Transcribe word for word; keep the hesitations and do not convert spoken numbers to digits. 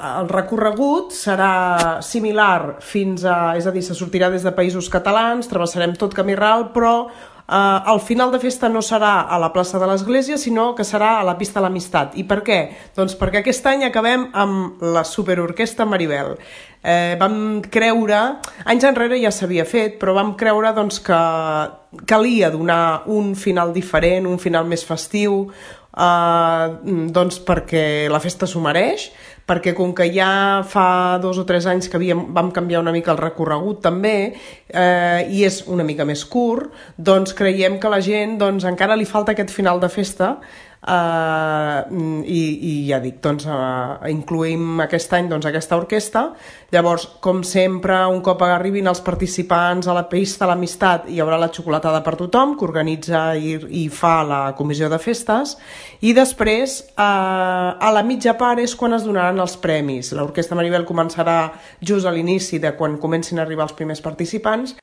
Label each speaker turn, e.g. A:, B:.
A: el recorregut serà similar fins a... És a dir, se sortirà des de Països Catalans, travessarem tot Camí Ral, però eh, el final de festa no serà a la plaça de l'Església, sinó que serà a la pista de l'Amistat. I per què? Doncs perquè aquest any acabem amb la superorquestra Maribel. Eh, vam creure, anys enrere ja s'havia fet, però vam creure doncs, que calia donar un final diferent, un final més festiu, eh, doncs perquè la festa s'ho mereix, perquè com que ja fa dos o tres anys que havíem, vam canviar una mica el recorregut també, eh, i és una mica més curt, doncs creiem que la gent doncs, encara li falta aquest final de festa. Uh, i, i ja dic, doncs uh, incluïm aquest any doncs, aquesta orquestra. Llavors, com sempre, un cop arribin els participants a la pista de l'Amistat, hi haurà la xocolatada per tothom, que organitza i, i fa la comissió de festes, i després uh, a la mitja part és quan es donaran els premis. L'orquestra Maribel començarà just a l'inici de quan comencin a arribar els primers participants.